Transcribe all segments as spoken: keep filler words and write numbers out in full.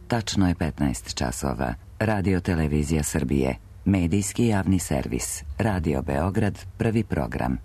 Tačno je petnaest časova. Radio Televizija Srbije. Medijski javni servis. Radio Beograd, prvi program.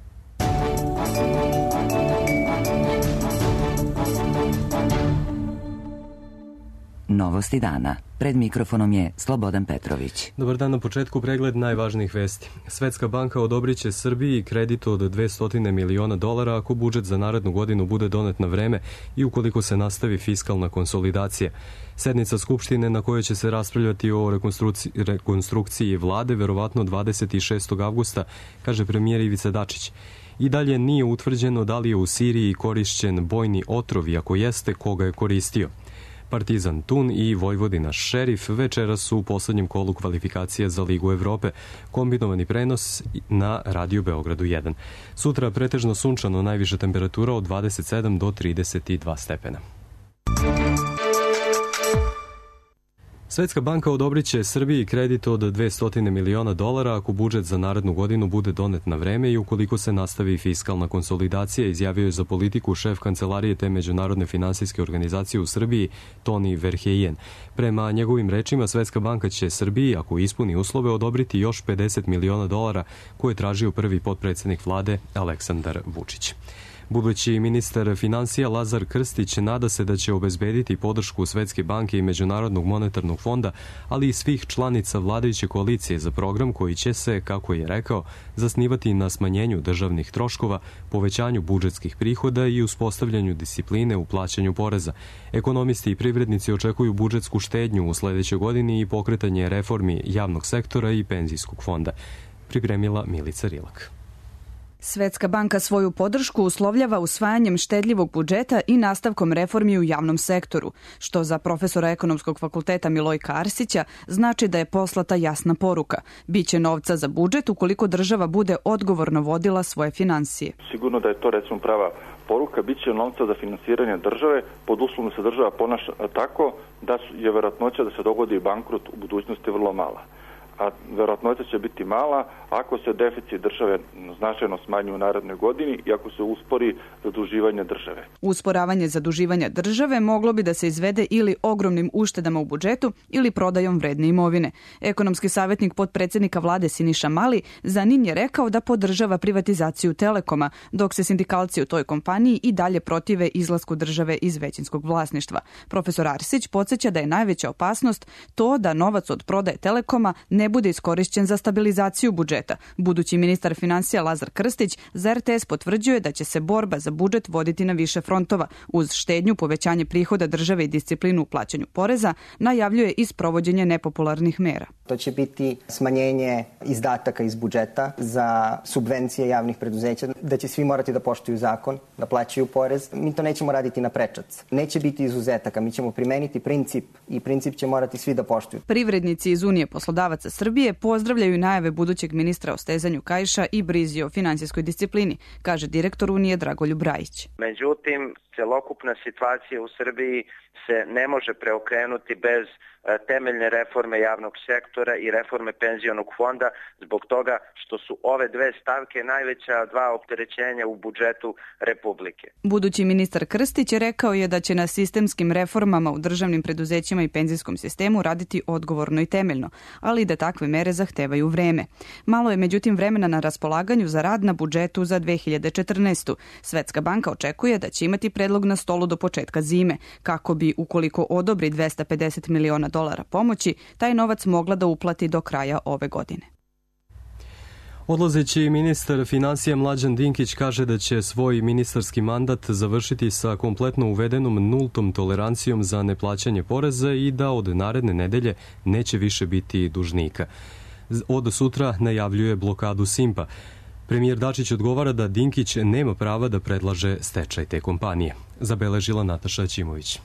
Novosti dana. Pred mikrofonom je Slobodan Petrović. Dobar dan, na početku pregled najvažnijih vesti. Svetska banka odobrit će Srbiji kredit od dvesta miliona dolara ako budžet za narednu godinu bude donet na vreme i ukoliko se nastavi fiskalna konsolidacija. Sednica Skupštine na kojoj će se raspravljati o rekonstrukciji, rekonstrukciji vlade verovatno dvadeset šestog avgusta, kaže premijer Ivica Dačić. I dalje nije utvrđeno da li je u Siriji korišćen bojni otrov i ako jeste, koga je koristio. Partizan Tun i Vojvodina Šerif večeras su u poslednjem kolu kvalifikacija za Ligu Evrope, kombinovani prenos na Radio Beogradu jedan. Sutra pretežno sunčano, najviša temperatura od dvadeset sedam do trideset dva stepena. Svetska banka odobrit će Srbiji kredit od dvesta miliona dolara ako budžet za narednu godinu bude donet na vreme i ukoliko se nastavi fiskalna konsolidacija, izjavio je za politiku šef kancelarije te međunarodne finansijske organizacije u Srbiji Toni Verheyen. Prema njegovim rečima, Svetska banka će Srbiji, ako ispuni uslove, odobriti još pedeset miliona dolara koje je tražio prvi potpredsednik vlade Aleksandar Vučić. Budući ministar finansija Lazar Krstić nada se da će obezbediti podršku Svetske banke i Međunarodnog monetarnog fonda, ali i svih članica vladajuće koalicije za program koji će se, kako je rekao, zasnivati na smanjenju državnih troškova, povećanju budžetskih prihoda i uspostavljanju discipline u plaćanju poreza. Ekonomisti i privrednici očekuju budžetsku štednju u sledećoj godini i pokretanje reformi javnog sektora i penzijskog fonda. Pripremila Milica Rilak. Svetska banka svoju podršku uslovljava usvajanjem štedljivog budžeta i nastavkom reformi u javnom sektoru, što za profesora ekonomskog fakulteta Milojka Arsića znači da je poslata jasna poruka. Biće novca za budžet ukoliko država bude odgovorno vodila svoje finansije. Sigurno da je to recimo prava poruka, biće novca za finansiranje države pod uslovom da se država ponaša tako da je verovatnoća da se dogodi bankrot u budućnosti vrlo mala. A verovatnoća će biti mala ako se deficit države značajno smanji u narednoj godini i ako se uspori zaduživanje države. Usporavanje zaduživanja države moglo bi da se izvede ili ogromnim uštedama u budžetu ili prodajom vredne imovine. Ekonomski savjetnik potpredsednika vlade Siniša Mali za N I N je rekao da podržava privatizaciju Telekoma, dok se sindikalci u toj kompaniji i dalje protive izlasku države iz većinskog vlasništva. Profesor Arsić podsjeća da je najveća opasnost to da novac od prodaje Telekoma ne bude iskorišćen za stabilizaciju budžeta. Budući ministar finansija Lazar Krstić za R T S potvrđuje da će se borba za budžet voditi na više frontova. Uz štednju, povećanje prihoda države i disciplinu u plaćanju poreza, najavljuje i sprovođenje nepopularnih mera. To će biti smanjenje izdataka iz budžeta za subvencije javnih preduzeća, da će svi morati da poštuju zakon, da plaćaju porez. Mi to nećemo raditi na prečac. Neće biti izuzetaka, mi ćemo primeniti princip i princip će morati svi da poštuju. Privrednici iz Unije poslodavaca Srbije pozdravljaju najave budućeg ministra o stezanju kaiša i brizi o finansijskoj disciplini, kaže direktor Unije Dragoljub Rajić. Međutim, celokupna situacija u Srbiji se ne može preokrenuti bez temeljne reforme javnog sektora i reforme penzionog fonda zbog toga što su ove dve stavke najveća dva opterećenja u budžetu Republike. Budući ministar Krstić rekao je da će na sistemskim reformama u državnim preduzećima i penzijskom sistemu raditi odgovorno i temeljno, ali da takve mere zahtevaju vreme. Malo je međutim vremena na raspolaganju za rad na budžetu za dve hiljade četrnaestu. Svetska banka očekuje da će imati predlog na stolu do početka zime, kako bi, ukoliko odobri dvesta pedeset miliona dolara pomoći, taj novac mogla da uplati do kraja ove godine. Odlazeći ministar finansija Mlađan Dinkić kaže da će svoj ministarski mandat završiti sa kompletno uvedenom nultom tolerancijom za neplaćanje poreza i da od naredne nedelje neće više biti dužnika. Od sutra najavljuje blokadu Simpa. Premijer Dačić odgovara da Dinkić nema prava da predlaže stečaj te kompanije. Zabeležila Nataša Ćimović.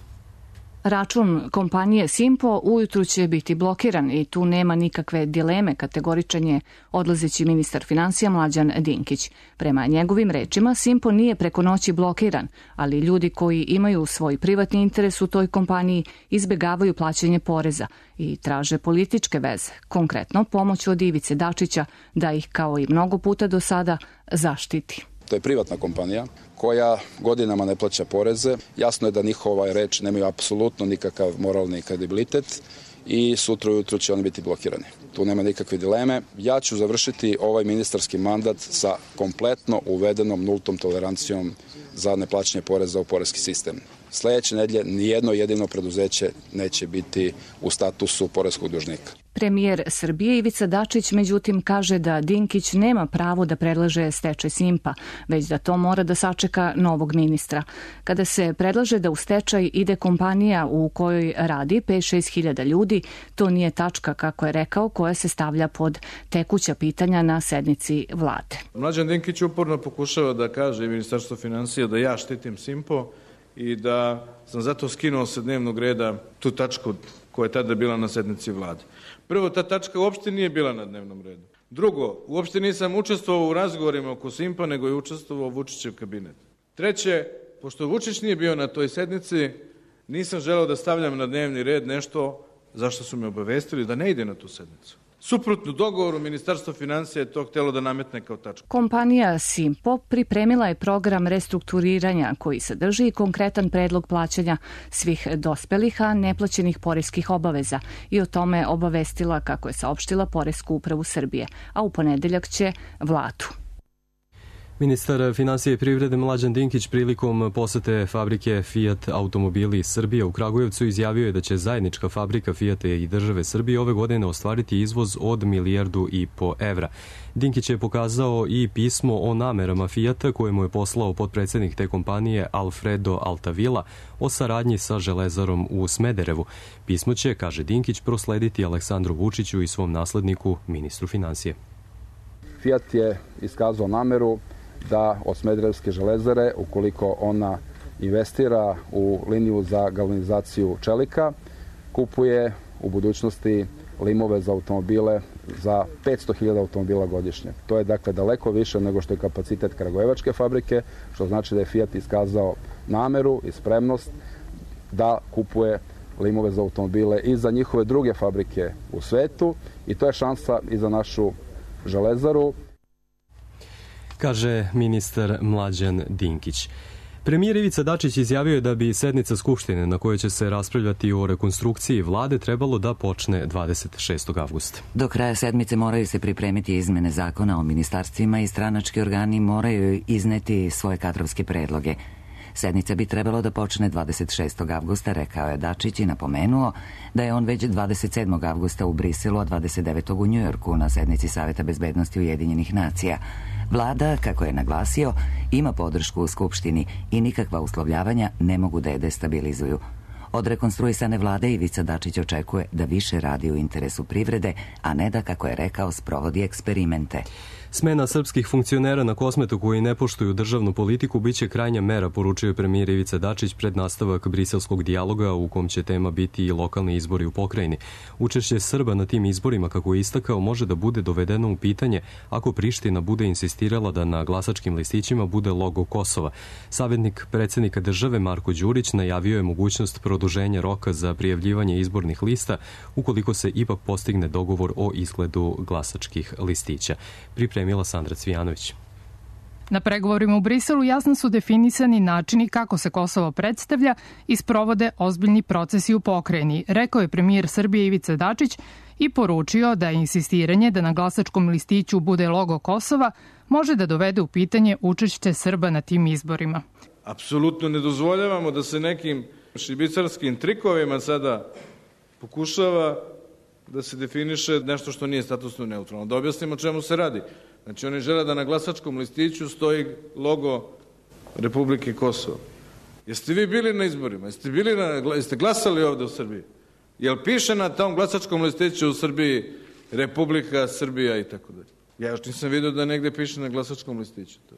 Račun kompanije Simpo ujutru će biti blokiran i tu nema nikakve dileme, kategoričan je odlazeći ministar finansija Mlađan Dinkić. Prema njegovim rečima, Simpo nije preko noći blokiran, ali ljudi koji imaju svoj privatni interes u toj kompaniji izbegavaju plaćanje poreza i traže političke veze, konkretno pomoć od Ivice Dačića da ih, kao i mnogo puta do sada, zaštiti. To je privatna kompanija koja godinama ne plaća poreze. Jasno je da njihova reč nemaju apsolutno nikakav moralni kredibilitet i sutra ujutru će oni biti blokirani. Tu nema nikakve dileme. Ja ću završiti ovaj ministarski mandat sa kompletno uvedenom nultom tolerancijom za neplaćanje poreza u poreski sistem. Sledeće nedelje nijedno jedino preduzeće neće biti u statusu poreskog dužnika. Premijer Srbije Ivica Dačić međutim kaže da Dinkić nema pravo da predlaže stečaj Simpa, već da to mora da sačeka novog ministra. Kada se predlaže da u stečaj ide kompanija u kojoj radi pet do šest hiljada ljudi, to nije tačka, kako je rekao, koja se stavlja pod tekuća pitanja na sednici vlade. Mlađan Dinkić uporno pokušava da kaže i Ministarstvo finansija da ja štitim Simpo i da sam zato skinuo sa dnevnog reda tu tačku koja je tada bila na sednici vlade. Prvo, ta tačka uopšte nije bila na dnevnom redu. Drugo, uopšte nisam učestvovao u razgovorima oko Simpa, nego je učestvovao Vučićev kabinet. Treće, pošto Vučić nije bio na toj sednici, nisam želeo da stavljam na dnevni red nešto zašto su me obavestili da ne ide na tu sednicu. Suprotno dogovoru, Ministarstvo finansija je to htelo da nametne kao tačku. Kompanija Simpo pripremila je program restrukturiranja koji sadrži konkretan predlog plaćanja svih dospelih, a neplaćenih poreskih obaveza i o tome obavestila, kako je saopštila, Poresku upravu Srbije, a u ponedeljak će vladu. Ministar finansije i privrede Mlađan Dinkić prilikom posete fabrike Fiat automobili Srbije u Kragujevcu izjavio je da će zajednička fabrika Fiata i države Srbije ove godine ostvariti izvoz od milijardu i po evra. Dinkić je pokazao i pismo o namerama Fiata koje mu je poslao potpredsednik te kompanije Alfredo Altavila o saradnji sa Železarom u Smederevu. Pismo će, kaže Dinkić, proslediti Aleksandru Vučiću i svom nasledniku, ministru finansije. Fiat je iskazao nameru da od Smederevske železare, ukoliko ona investira u liniju za galvanizaciju čelika, kupuje u budućnosti limove za automobile za petsto hiljada automobila godišnje. To je dakle daleko više nego što je kapacitet kragujevačke fabrike, što znači da je Fiat iskazao nameru i spremnost da kupuje limove za automobile i za njihove druge fabrike u svetu i to je šansa i za našu železaru, kaže ministar Mlađan Dinkić. Premijer Ivica Dačić izjavio je da bi sednica Skupštine na kojoj će se raspravljati o rekonstrukciji vlade trebalo da počne dvadeset šestog avgusta. Do kraja sedmice moraju se pripremiti izmene zakona o ministarstvima i stranački organi moraju izneti svoje kadrovske predloge. Sednica bi trebalo da počne dvadeset šestog avgusta, rekao je Dačić i napomenuo da je on već dvadeset sedmog avgusta u Briselu, a dvadeset devetog u Njujorku na sednici Saveta bezbednosti Ujedinjenih nacija. Vlada, kako je naglasio, ima podršku u Skupštini i nikakva uslovljavanja ne mogu da je destabilizuju. Od rekonstruisane vlade Ivica Dačić očekuje da više radi u interesu privrede, a ne da, kako je rekao, sprovodi eksperimente. Smena srpskih funkcionera na Kosmetu koji ne poštuju državnu politiku biće krajnja mera, poručio je premijer Ivica Dačić pred nastavak briselskog dijaloga u kom će tema biti i lokalni izbori u pokrajini. Učešće Srba na tim izborima, kako je istakao, može da bude dovedeno u pitanje ako Priština bude insistirala da na glasačkim listićima bude logo Kosova. Savjetnik predsjednika države Marko Đurić najavio je mogućnost produženja roka za prijavljivanje izbornih lista ukoliko se ipak postigne dogovor o izgledu glasačkih listića. Pripremila Sandra Cvijanović. Na pregovorima u Briselu jasno su definisani načini kako se Kosovo predstavlja i sprovode ozbiljni procesi u pokrajini, rekao je premijer Srbije Ivica Dačić i poručio da je insistiranje da na glasačkom listiću bude logo Kosova može da dovede u pitanje učešće Srba na tim izborima. Apsolutno ne dozvoljavamo da se nekim šibicarskim trikovima sada pokušava da se definiše nešto što nije statusno neutralno. Da objasnimo o čemu se radi. Znači, oni žele da na glasačkom listiću stoji logo Republike Kosovo. Jeste vi bili na izborima? Jeste, bili na, jeste glasali ovde u Srbiji? Jel piše na tom glasačkom listiću u Srbiji Republika Srbija i tako dalje? Ja još nisam vidio da negde piše na glasačkom listiću to.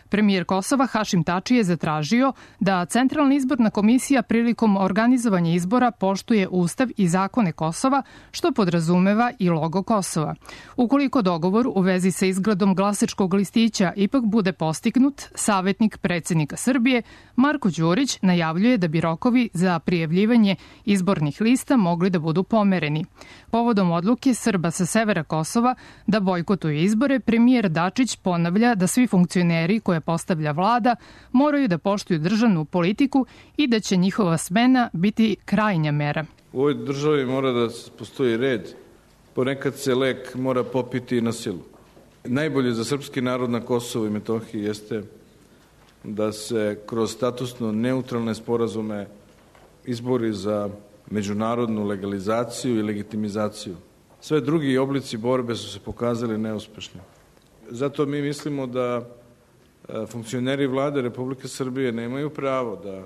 Premijer Kosova Hašim Tači je zatražio da Centralna izborna komisija prilikom organizovanja izbora poštuje Ustav i zakone Kosova, što podrazumeva i logo Kosova. Ukoliko dogovor u vezi sa izgledom glasačkog listića ipak bude postignut, savjetnik predsjednika Srbije Marko Đurić najavljuje da bi rokovi za prijavljivanje izbornih lista mogli da budu pomereni. Povodom odluke Srba sa severa Kosova da bojkotuju izbore, premijer Dačić ponavlja da svi funkcioneri koji koje postavlja vlada moraju da poštuju državnu politiku i da će njihova smena biti krajnja mera. U ovoj državi mora da postoji red. Ponekad se lek mora popiti na silu. Najbolje za srpski narod na Kosovu i Metohiji jeste da se kroz statusno neutralne sporazume izbori za međunarodnu legalizaciju i legitimizaciju. Sve drugi oblici borbe su se pokazali neuspešni. Zato mi mislimo da funkcioneri vlade Republike Srbije nemaju pravo da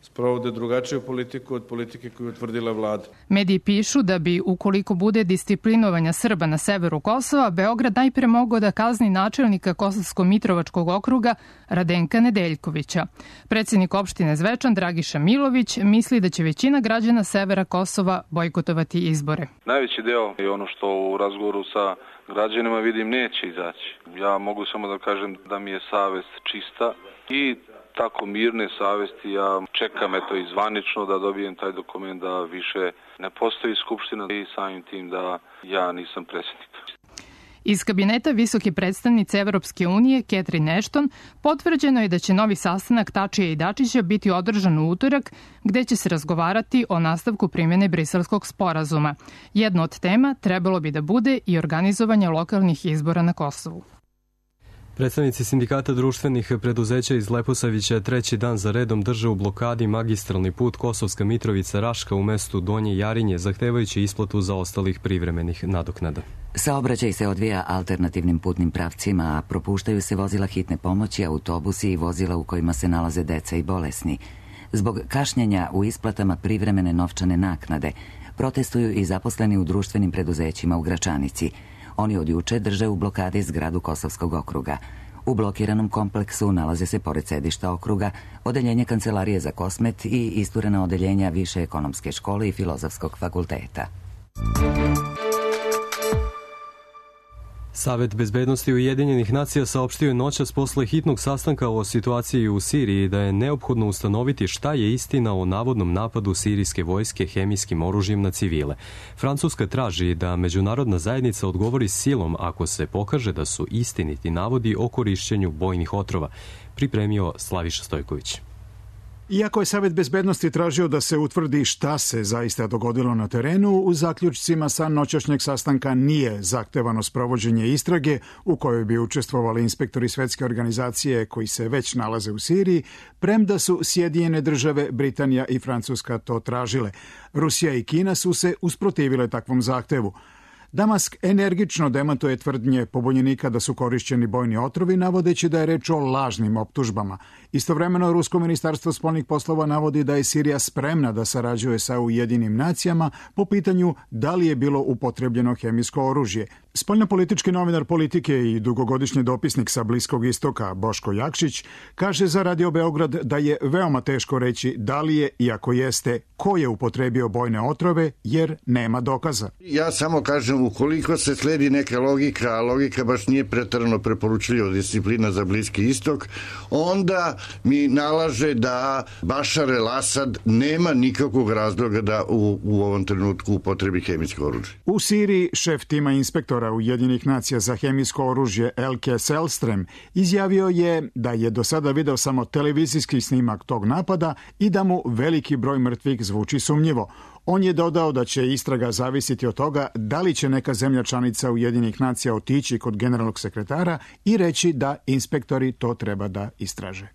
sprovode drugačiju politiku od politike koju je utvrdila vlada. Mediji pišu da bi, ukoliko bude disciplinovanja Srba na severu Kosova, Beograd najpre mogao da kazni načelnika Kosovsko-Mitrovačkog okruga Radenka Nedeljkovića. Predsjednik opštine Zvečan Dragiša Milović misli da će većina građana severa Kosova bojkotovati izbore. Najveći deo je ono što u razgovoru sa građanima vidim neće izaći. Ja mogu samo da kažem da mi je savest čista i tako mirne savesti ja čekam eto i zvanično da dobijem taj dokument da više ne postoji skupština i samim tim da ja nisam predsjednik. Iz kabineta visoke predstavnice Evropske unije Catherine Ashton potvrđeno je da će novi sastanak Tačija i Dačića biti održan u utorak, gde će se razgovarati o nastavku primjene Briselskog sporazuma. Jedna od tema trebalo bi da bude i organizovanje lokalnih izbora na Kosovu. Predstavnici sindikata društvenih preduzeća iz Leposavića treći dan za redom drže u blokadi magistralni put Kosovska Mitrovica-Raška u mestu Donje Jarinje, zahtevajući isplatu zaostalih privremenih nadoknada. Saobraćaj se odvija alternativnim putnim pravcima, a propuštaju se vozila hitne pomoći, autobusi i vozila u kojima se nalaze deca i bolesni. Zbog kašnjenja u isplatama privremene novčane naknade protestuju i zaposleni u društvenim preduzećima u Gračanici. Oni od juče drže u blokadi zgradu Kosovskog okruga. U blokiranom kompleksu nalaze se pored sedišta okruga odeljenje Kancelarije za Kosmet i isturena odeljenja Više ekonomske škole i Filozofskog fakulteta. Savet bezbednosti Ujedinjenih nacija saopštio je noćas posle hitnog sastanka o situaciji u Siriji da je neophodno ustanoviti šta je istina o navodnom napadu sirijske vojske hemijskim oružjem na civile. Francuska traži da međunarodna zajednica odgovori silom ako se pokaže da su istiniti navodi o korišćenju bojnih otrova, pripremio Slaviša Stojković. Iako je Savet bezbednosti tražio da se utvrdi šta se zaista dogodilo na terenu, u zaključcima sa noćašnjeg sastanka nije zahtevano sprovođenje istrage u kojoj bi učestvovali inspektori Svetske organizacije koji se već nalaze u Siriji, premda su Sjedinjene države, Britanija i Francuska to tražile. Rusija i Kina su se usprotivile takvom zahtevu. Damask energično demantuje tvrdnje pobunjenika da su korišćeni bojni otrovi, navodeći da je reč o lažnim optužbama. Istovremeno, Rusko ministarstvo spoljnih poslova navodi da je Sirija spremna da sarađuje sa Ujedinim nacijama po pitanju da li je bilo upotrebljeno hemijsko oružje. Spoljnopolitički novinar Politike i dugogodišnji dopisnik sa Bliskog istoka Boško Jakšić kaže za Radio Beograd da je veoma teško reći da li je i ako jeste ko je upotrebio bojne otrove jer nema dokaza. Ja samo kažem ukoliko se sledi neka logika, a logika baš nije preterano preporučljiva disciplina za Bliski istok, onda mi nalaže da Bašar el-Asad nema nikakvog razloga da u, u ovom trenutku upotrebi hemijsko oružje. U Siriji šef tima inspektora Ujedinjenih nacija za hemijsko oružje Elke Selstrem izjavio je da je do sada video samo televizijski snimak tog napada i da mu veliki broj mrtvih zvuči sumnjivo. On je dodao da će istraga zavisiti od toga da li će neka zemlja članica Ujedinjenih nacija otići kod generalnog sekretara i reći da inspektori to treba da istraže.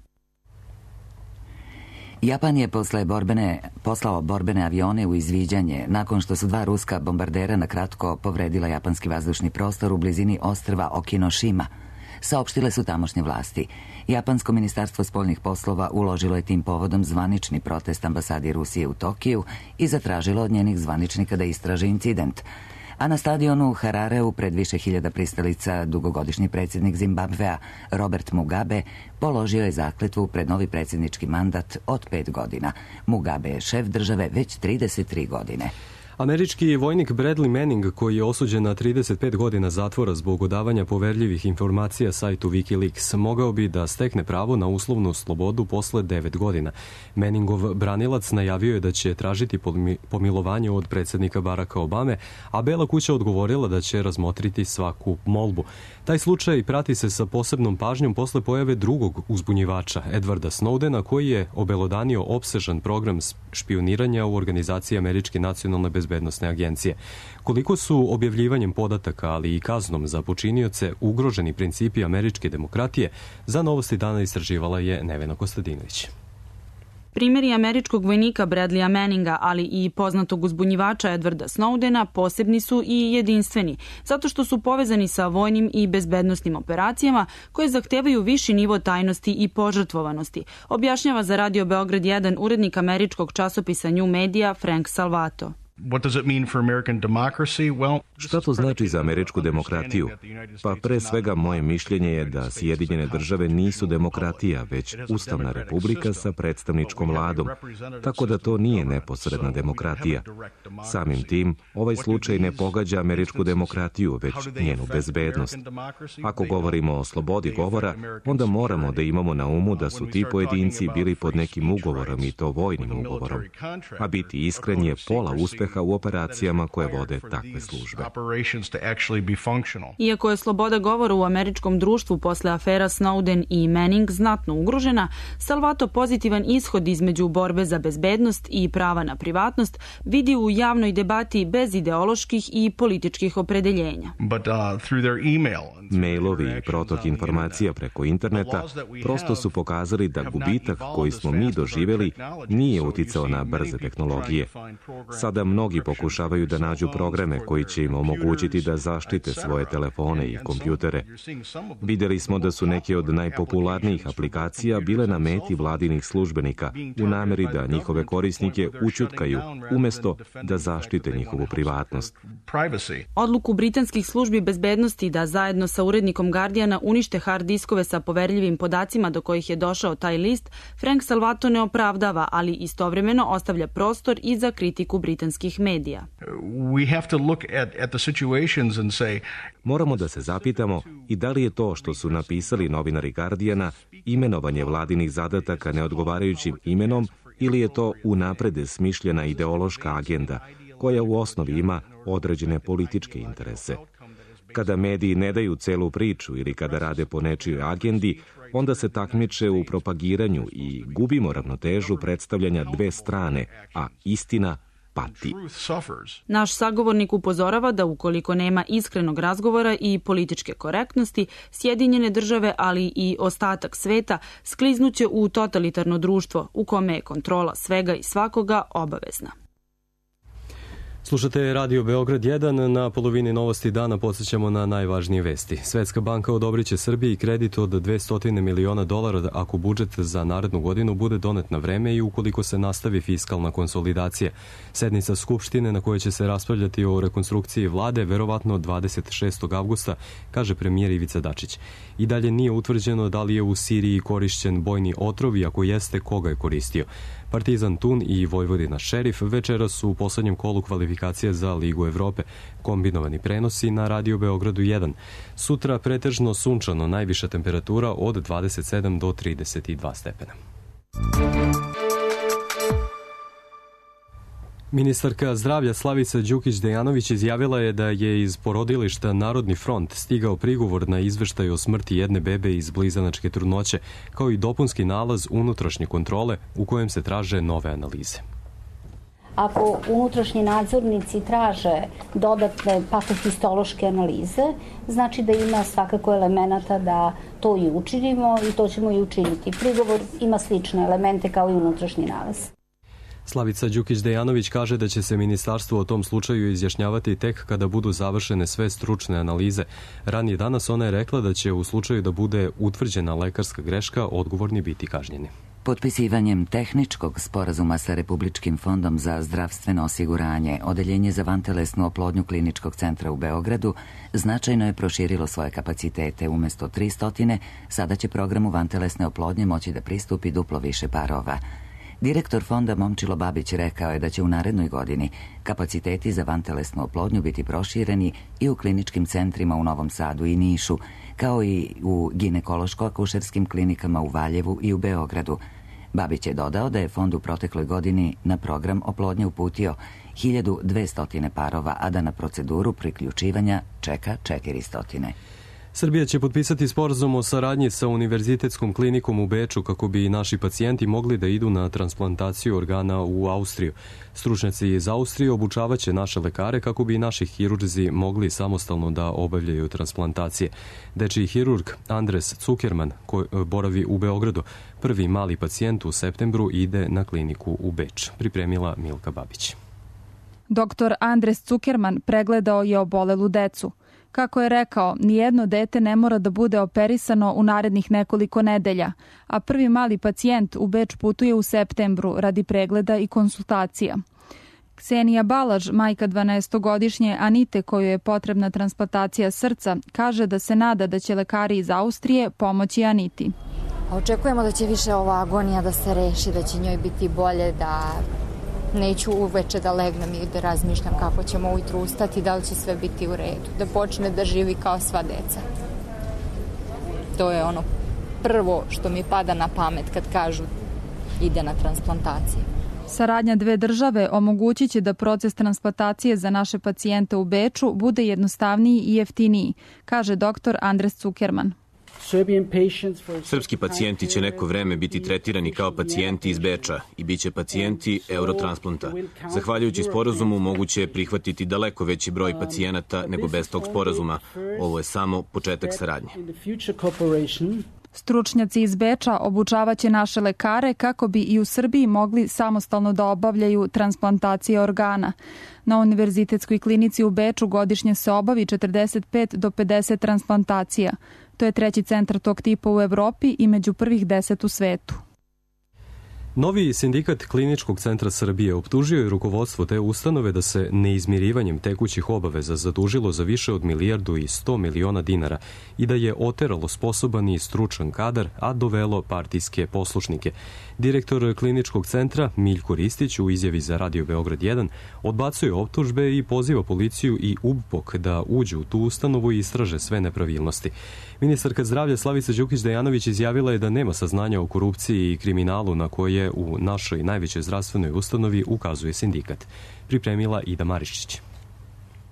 Japan je posle borbene, poslao borbene avione u izviđanje nakon što su dva ruska bombardera na kratko povredila japanski vazdušni prostor u blizini ostrva Okinoshima, saopštile su tamošnje vlasti. Japansko ministarstvo spoljnih poslova uložilo je tim povodom zvanični protest ambasadi Rusije u Tokiju i zatražilo od njenih zvaničnika da istraže incident. A na stadionu u Harareu pred više hiljada pristalica dugogodišnji predsjednik Zimbabvea Robert Mugabe položio je zakletvu pred novi predsjednički mandat od pet godina. Mugabe je šef države već trideset tri godine. Američki vojnik Bradley Manning, koji je osuđen na trideset pet godina zatvora zbog odavanja poverljivih informacija sajtu Wikileaks, mogao bi da stekne pravo na uslovnu slobodu posle devet godina. Manningov branilac najavio je da će tražiti pomilovanje od predsjednika Baracka Obame, a Bela kuća odgovorila da će razmotriti svaku molbu. Taj slučaj prati se sa posebnom pažnjom posle pojave drugog uzbunjivača, Edwarda Snowdena, koji je obelodanio opsežan program špioniranja u organizaciji Američke nacionalne bezbednosne agencije. Koliko su objavljivanjem podataka, ali i kaznom za počinioce ugroženi principi američke demokratije, za Novosti dana istraživala je Nevena Kostadinović. Primjeri američkog vojnika Bradleya Manninga, ali i poznatog uzbunjivača Edwarda Snowdena posebni su i jedinstveni, zato što su povezani sa vojnim i bezbednosnim operacijama koje zahtevaju viši nivo tajnosti i požrtvovanosti, objašnjava za Radio Beograd jedan urednik američkog časopisa New Media Frank Salvato. Šta to znači za američku demokratiju? Pa pre svega moje mišljenje je da Sjedinjene države nisu demokratija, već ustavna republika sa predstavničkom vladom, tako da to nije neposredna demokratija. Samim tim, ovaj slučaj ne pogađa američku demokratiju, već njenu bezbednost. Ako govorimo o slobodi govora, onda moramo da imamo na umu da su ti pojedinci bili pod nekim ugovorom i to vojnim ugovorom. A biti iskren je pola uspeha u operacijama koje vode takve službe. Iako je sloboda govora u američkom društvu posle afera Snowden i Manning znatno ugrožena, Salvato pozitivan ishod između borbe za bezbednost i prava na privatnost vidi u javnoj debati bez ideoloških i političkih opredeljenja. Mailovi i protok informacija preko interneta prosto su pokazali da gubitak koji smo mi doživjeli nije uticao na brze tehnologije. Sada mnogi pokušavaju da nađu programe koji će im omogućiti da zaštite svoje telefone i kompjutere. Vidjeli smo da su neke od najpopularnijih aplikacija bile na meti vladinih službenika u nameri da njihove korisnike ućutkaju umjesto da zaštite njihovu privatnost. Odluku britanskih službi bezbednosti da zajedno sa urednikom Guardiana unište hard diskove sa poverljivim podacima do kojih je došao taj list, Frank Salvato ne opravdava, ali istovremeno ostavlja prostor i za kritiku britanskih medija. Moramo da se zapitamo i da li je to što su napisali novinari Guardiana imenovanje vladinih zadataka neodgovarajućim imenom ili je to unapred smišljena ideološka agenda koja u osnovi ima određene političke interese. Kada mediji ne daju celu priču ili kada rade po nečijoj agendi, onda se takmiče u propagiranju i gubimo ravnotežu predstavljanja dve strane, a istina pati. Naš sagovornik upozorava da ukoliko nema iskrenog razgovora i političke korektnosti, Sjedinjene države, ali i ostatak sveta, skliznuće u totalitarno društvo u kome je kontrola svega i svakoga obavezna. Slušate Radio Beograd jedan, na polovini Novosti dana podsjećamo na najvažnije vesti. Svetska banka odobrit će Srbiji kredit od dvesta miliona dolara ako budžet za narednu godinu bude donet na vreme i ukoliko se nastavi fiskalna konsolidacija. Sednica Skupštine na kojoj će se raspravljati o rekonstrukciji vlade verovatno dvadeset šestog avgusta, kaže premijer Ivica Dačić. I dalje nije utvrđeno da li je u Siriji korišćen bojni otrov i ako jeste, koga je koristio. Partizan Tun i Vojvodina Šerif večeras su u poslednjem kolu kvalifikacije za Ligu Evrope. Kombinovani prenosi na Radio Beogradu jedan. Sutra pretežno sunčano, najviša temperatura od dvadeset sedam do trideset dva stepena. Ministarka zdravlja Slavica Đukić-Dejanović izjavila je da je iz porodilišta Narodni front stigao prigovor na izveštaj o smrti jedne bebe iz blizanačke trudnoće, kao i dopunski nalaz unutrašnje kontrole u kojem se traže nove analize. Ako unutrašnji nadzornici traže dodatne patohistološke analize, znači da ima svakako elemenata da to i učinimo i to ćemo i učiniti. Prigovor ima slične elemente kao i unutrašnji nalaz. Slavica Đukić-Dejanović kaže da će se ministarstvo o tom slučaju izjašnjavati tek kada budu završene sve stručne analize. Ranije danas ona je rekla da će u slučaju da bude utvrđena lekarska greška odgovorni biti kažnjeni. Potpisivanjem tehničkog sporazuma sa Republičkim fondom za zdravstveno osiguranje, Odeljenje za vantelesnu oplodnju Kliničkog centra u Beogradu značajno je proširilo svoje kapacitete. Umesto tristotina, sada će programu vantelesne oplodnje moći da pristupi duplo više parova. Direktor fonda Momčilo Babić rekao je da će u narednoj godini kapaciteti za vantelesnu oplodnju biti prošireni i u kliničkim centrima u Novom Sadu i Nišu, kao i u ginekološko-akušerskim klinikama u Valjevu i u Beogradu. Babić je dodao da je fond u protekloj godini na program oplodnje uputio hiljadu dvesta parova, a da na proceduru priključivanja čeka četiristo. Srbija će potpisati sporazum o saradnji sa Univerzitetskom klinikom u Beču kako bi naši pacijenti mogli da idu na transplantaciju organa u Austriju. Stručnjaci iz Austrije obučavaće naše lekare kako bi naši hirurzi mogli samostalno da obavljaju transplantacije. Dečiji hirurg Andres Zuckerman, koji boravi u Beogradu, prvi mali pacijent u septembru ide na kliniku u Beč. Pripremila Milka Babić. Doktor Andres Zuckerman pregledao je obolelu decu. Kako je rekao, nijedno dete ne mora da bude operisano u narednih nekoliko nedelja, a prvi mali pacijent u Beč putuje u septembru radi pregleda i konsultacija. Ksenija Balaž, majka dvanaestogodišnje Anite kojoj je potrebna transplantacija srca, kaže da se nada da će lekari iz Austrije pomoći Aniti. Očekujemo da će više ova agonija da se reši, da će njoj biti bolje, da neću uveče da legnem i da razmišljam kako ćemo ujutru ustati, da li će sve biti u redu, da počne da živi kao sva deca. To je ono prvo što mi pada na pamet kad kažu ide na transplantaciju. Saradnja dve države omogućit će da proces transplantacije za naše pacijente u Beču bude jednostavniji i jeftiniji, kaže doktor Andres Zuckerman. Srpski pacijenti će neko vreme biti tretirani kao pacijenti iz Beča i bit će pacijenti Eurotransplanta. Zahvaljujući sporazumu moguće je prihvatiti daleko veći broj pacijenata nego bez tog sporazuma. Ovo je samo početak saradnje. Stručnjaci iz Beča obučavaće naše lekare kako bi i u Srbiji mogli samostalno da obavljaju transplantacije organa. Na Univerzitetskoj klinici u Beču godišnje se obavi četrdeset pet do pedeset transplantacija. To je treći centar tog tipa u Evropi i među prvih deset u svetu. Novi sindikat Kliničkog centra Srbije optužio je rukovodstvo te ustanove da se neizmirivanjem tekućih obaveza zadužilo za više od milijardu i sto miliona dinara i da je oteralo sposoban i stručan kadar, a dovelo partijske poslušnike. Direktor Kliničkog centra Miljko Ristić u izjavi za Radio Beograd jedan odbacuje optužbe i poziva policiju i U B P O K da uđu u tu ustanovu i istraže sve nepravilnosti. Ministarka zdravlja Slavica Đukić Dejanović izjavila je da nema saznanja o korupciji i kriminalu na koje u našoj najvećoj zdravstvenoj ustanovi ukazuje sindikat. Pripremila Ida Marišić.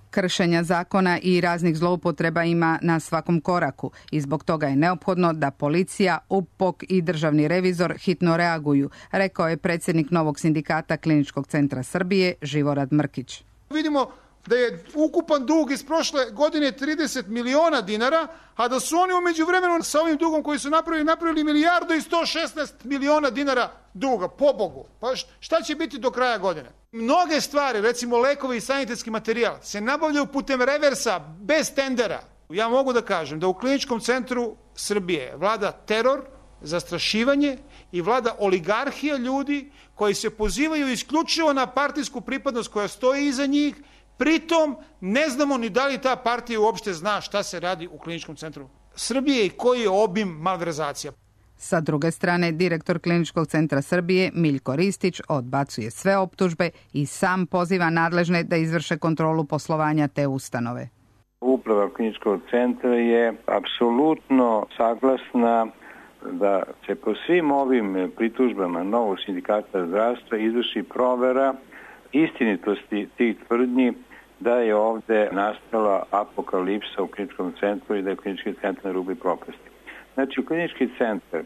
Kršenja zakona i raznih zloupotreba ima na svakom koraku i zbog toga je neophodno da policija, U P O K i državni revizor hitno reaguju, rekao je predsjednik novog sindikata Kliničkog centra Srbije Živorad Mrkić. Vidimo da je ukupan dug iz prošle godine trideset miliona dinara, a da su oni umeđu vremenu sa ovim dugom koji su napravili, napravili milijardu i sto šesnaest miliona dinara duga, pobogu. Pa šta će biti do kraja godine? Mnoge stvari, recimo lekovi i sanitetski materijal, se nabavljaju putem reversa, bez tendera. Ja mogu da kažem da u Kliničkom centru Srbije vlada teror, zastrašivanje i vlada oligarhija ljudi koji se pozivaju isključivo na partijsku pripadnost koja stoji iza njih. Pritom ne znamo ni da li ta partija uopšte zna šta se radi u Kliničkom centru Srbije i koji je obim malverzacija. Sa druge strane, direktor Kliničkog centra Srbije Miljko Ristić odbacuje sve optužbe i sam poziva nadležne da izvrše kontrolu poslovanja te ustanove. Uprava Kliničkog centra je apsolutno saglasna da se po svim ovim pritužbama novog sindikata zdravstva izvrši provera istinitosti tih tvrdnji da je ovde nastala apokalipsa u Kliničkom centru i da je Klinički centar na rubu propasti. Znači, Klinički centar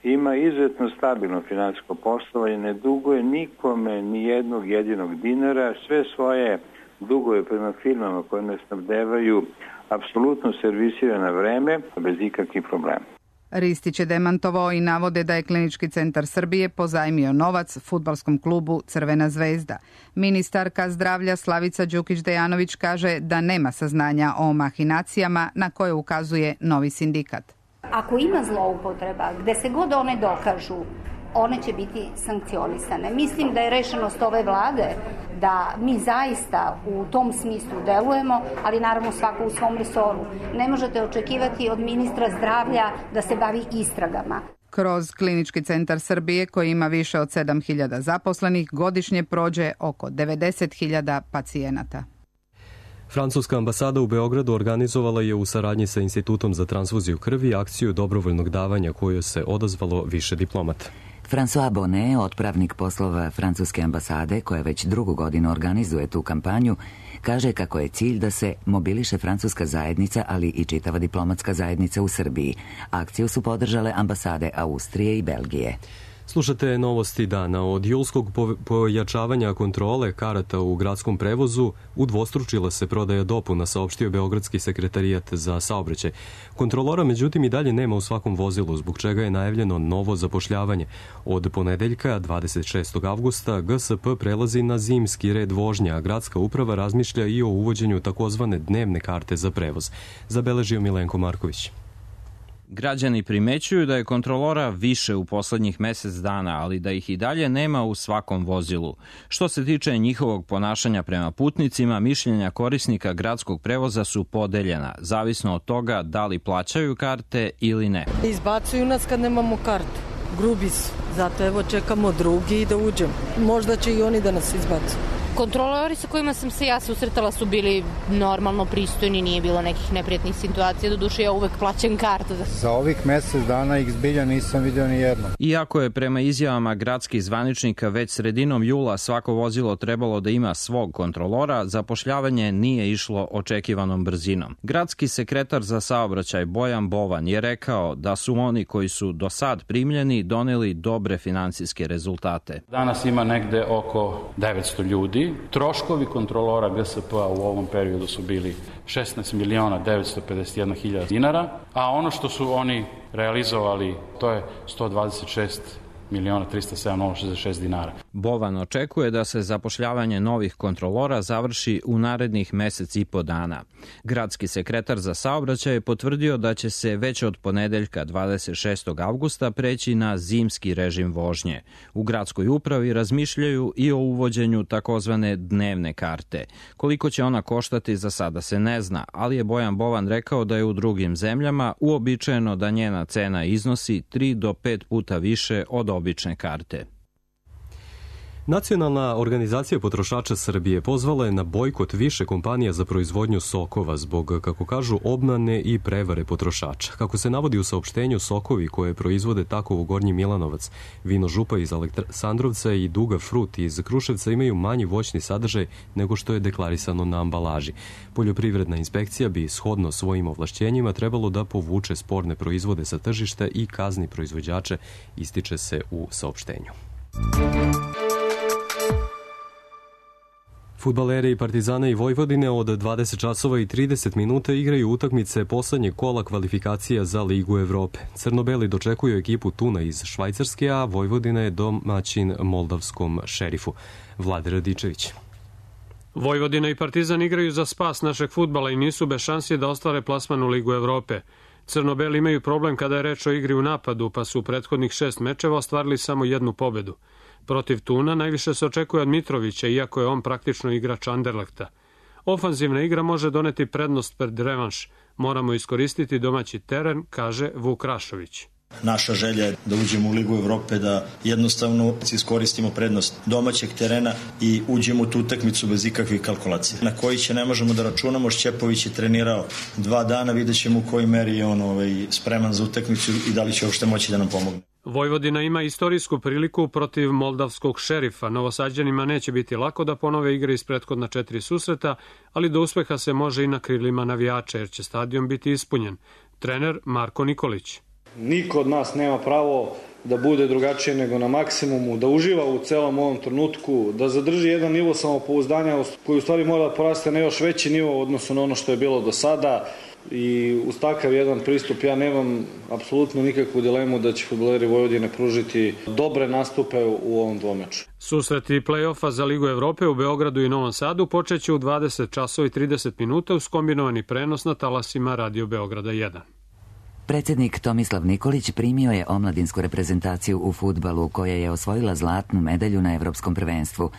ima izuzetno stabilno finansijsko poslovanje, ne duguje nikome ni jednog jedinog dinara, sve svoje dugove prema firmama koje nas snabdevaju apsolutno servisira na vreme, bez ikakvih problema. Ristić je demantovao i navode da je Klinički centar Srbije pozajmio novac fudbalskom klubu Crvena zvezda. Ministarka zdravlja Slavica Đukić Dejanović kaže da nema saznanja o mahinacijama na koje ukazuje novi sindikat. Ako ima zloupotreba, gde se god one dokažu, one će biti sankcionisane. Mislim da je rešenost ove vlade da mi zaista u tom smislu delujemo, ali naravno svako u svom resoru. Ne možete očekivati od ministra zdravlja da se bavi istragama. Kroz Klinički centar Srbije, koji ima više od sedam hiljada zaposlenih, godišnje prođe oko devedeset hiljada pacijenata. Francuska ambasada u Beogradu organizovala je u saradnji sa Institutom za transfuziju krvi akciju dobrovoljnog davanja koju se odazvalo više diplomata. François Bonnet, otpravnik poslova Francuske ambasade, koja već drugu godinu organizuje tu kampanju, kaže kako je cilj da se mobiliše francuska zajednica, ali i čitava diplomatska zajednica u Srbiji. Akciju su podržale ambasade Austrije i Belgije. Slušate novosti dana. Od julskog pojačavanja kontrole karata u gradskom prevozu udvostručila se prodaja dopuna, saopštio Beogradski sekretarijat za saobraćaj. Kontrolora međutim i dalje nema u svakom vozilu, zbog čega je najavljeno novo zapošljavanje. Od ponedeljka, dvadeset šestog avgusta, G S P prelazi na zimski red vožnje, a gradska uprava razmišlja i o uvođenju takozvane dnevne karte za prevoz. Zabeležio Milenko Marković. Građani primećuju da je kontrolora više u poslednjih mesec dana, ali da ih i dalje nema u svakom vozilu. Što se tiče njihovog ponašanja prema putnicima, mišljenja korisnika gradskog prevoza su podeljena, zavisno od toga da li plaćaju karte ili ne. Izbacuju nas kad nemamo kartu. Grubi su. Zato evo čekamo drugi i da uđemo. Možda će i oni da nas izbacu. Kontrolori sa kojima sam se ja susretala su bili normalno pristojni, nije bilo nekih neprijatnih situacija, doduše ja uvek plaćam kartu. Za ovih mesec dana ih zbilja nisam vidio ni jedno. Iako je prema izjavama gradskih zvaničnika već sredinom jula svako vozilo trebalo da ima svog kontrolora, zapošljavanje nije išlo očekivanom brzinom. Gradski sekretar za saobraćaj Bojan Bovan je rekao da su oni koji su do sad primljeni doneli dobre finansijske rezultate. Danas ima negde oko devetsto ljudi. Troškovi kontrolora G S P-a u ovom periodu su bili šesnaest miliona devetsto pedeset jedna hiljada dinara, a ono što su oni realizovali to je sto dvadeset šest miliona trista sedam hiljada šezdeset šest dinara. Bovan očekuje da se zapošljavanje novih kontrolora završi u narednih mesec i po dana. Gradski sekretar za saobraćaj je potvrdio da će se već od ponedeljka dvadeset šestog avgusta preći na zimski režim vožnje. U gradskoj upravi razmišljaju i o uvođenju takozvane dnevne karte. Koliko će ona koštati za sada se ne zna, ali je Bojan Bovan rekao da je u drugim zemljama uobičajeno da njena cena iznosi tri do pet puta više od obične karte. Nacionalna organizacija potrošača Srbije pozvala je na bojkot više kompanija za proizvodnju sokova zbog, kako kažu, obmane i prevare potrošača. Kako se navodi u saopštenju, sokovi koje proizvode Takovo Gornji Milanovac, Vino Župa iz Aleksandrovca i Duga Frut iz Kruševca imaju manji voćni sadržaj nego što je deklarisano na ambalaži. Poljoprivredna inspekcija bi shodno svojim ovlašćenjima trebalo da povuče sporne proizvode sa tržišta i kazni proizvođače, ističe se u saopštenju. Fudbaleri Partizana i Vojvodine od dvadeset časova i trideset minuta igraju utakmice poslednjeg kola kvalifikacija za Ligu Evrope. Crnobeli dočekuju ekipu Tuna iz Švajcarske, a Vojvodina je domaćin moldavskom Šerifu. Vlade Radičević. Vojvodina i Partizan igraju za spas našeg fudbala i nisu bez šansi da ostvare plasman u Ligu Evrope. Crnobeli imaju problem kada je reč o igri u napadu, pa su u prethodnih šest mečeva ostvarili samo jednu pobedu. Protiv Tuna najviše se očekuje od Mitrovića, iako je on praktično igrač Anderlehta. Ofanzivna igra može doneti prednost pred revanš. Moramo iskoristiti domaći teren, kaže Vuk Rašović. Naša želja je da uđemo u Ligu Evrope, da jednostavno iskoristimo prednost domaćeg terena i uđemo u tu utakmicu bez ikakvih kalkulacija. Na koji će ne možemo da računamo, Šćepović je trenirao dva dana, vidjet ćemo u kojoj meri je on ovaj, spreman za utakmicu i da li će uopšte moći da nam pomogne. Vojvodina ima istorijsku priliku protiv moldavskog Šerifa. Novosađanima neće biti lako da ponove igre iz prethodna četiri susreta, ali do uspeha se može i na krilima navijača, jer će stadion biti ispunjen. Trener Marko Nikolić. Niko od nas nema pravo da bude drugačije nego na maksimumu, da uživa u celom ovom trenutku, da zadrži jedan nivo samopouzdanja koji u stvari mora da poraste na još veći nivo u odnosu na ono što je bilo do sada. I uz takav jedan pristup ja nemam apsolutno nikakvu dilemu da će fudbaleri Vojvodine pružiti dobre nastupe u ovom dvomeču. Susreti play-offa za Ligu Evrope u Beogradu i Novom Sadu počeće u dvadeset časova i trideset minuta uz kombinovani prenos na talasima Radio Beograda jedan. Predsjednik Tomislav Nikolić primio je omladinsku reprezentaciju u fudbalu koja je osvojila zlatnu medalju na Evropskom prvenstvu.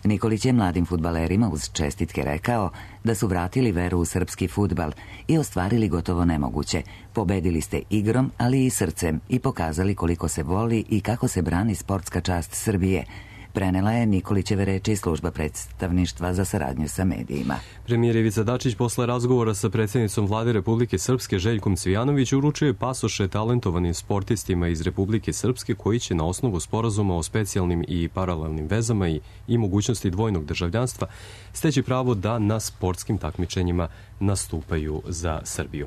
Nikolić je mladim fudbalerima uz čestitke rekao da su vratili veru u srpski fudbal i ostvarili gotovo nemoguće. Pobedili ste igrom, ali i srcem i pokazali koliko se voli i kako se brani sportska čast Srbije. Prenela je Nikolićeve reči služba predstavništva za saradnju sa medijima. Premijer Ivica Dačić posle razgovora sa predsjednicom vlade Republike Srpske Željkom Cvijanović uručuje pasoše talentovanim sportistima iz Republike Srpske koji će na osnovu sporazuma o specijalnim i paralelnim vezama i, i mogućnosti dvojnog državljanstva steći pravo da na sportskim takmičenjima nastupaju za Srbiju.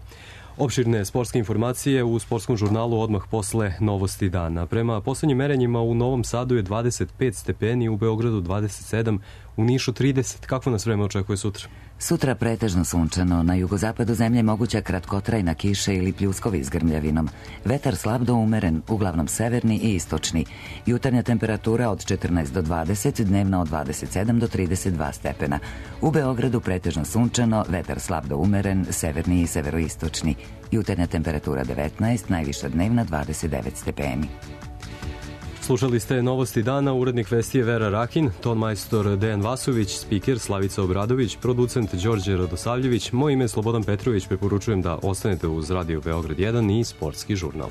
Opširne sportske informacije u sportskom žurnalu odmah posle novosti dana. Prema poslednjim merenjima u Novom Sadu je dvadeset pet stepeni, u Beogradu dvadeset sedam, u Nišu trideset. Kakvo nas vreme očekuje sutra? Sutra pretežno sunčano, na jugozapadu zemlje moguća kratkotrajna kiša ili pljuskovi s grmljavinom. Vetar slab do umeren, uglavnom severni i istočni. Jutarnja temperatura od četrnaest do dvadeset, dnevna od dvadeset sedam do trideset dva stepena. U Beogradu pretežno sunčano, vetar slab do umeren, severni i severoistočni. Jutarnja temperatura devetnaest, najviša dnevna dvadeset devet stepeni. Slušali ste novosti dana, urednik vesti je Vera Rakin, ton majstor Dejan Vasović, spiker Slavica Obradović, producent Đorđe Radosavljević, moje ime je Slobodan Petrović, preporučujem da ostanete uz Radio Beograd jedan i sportski žurnal.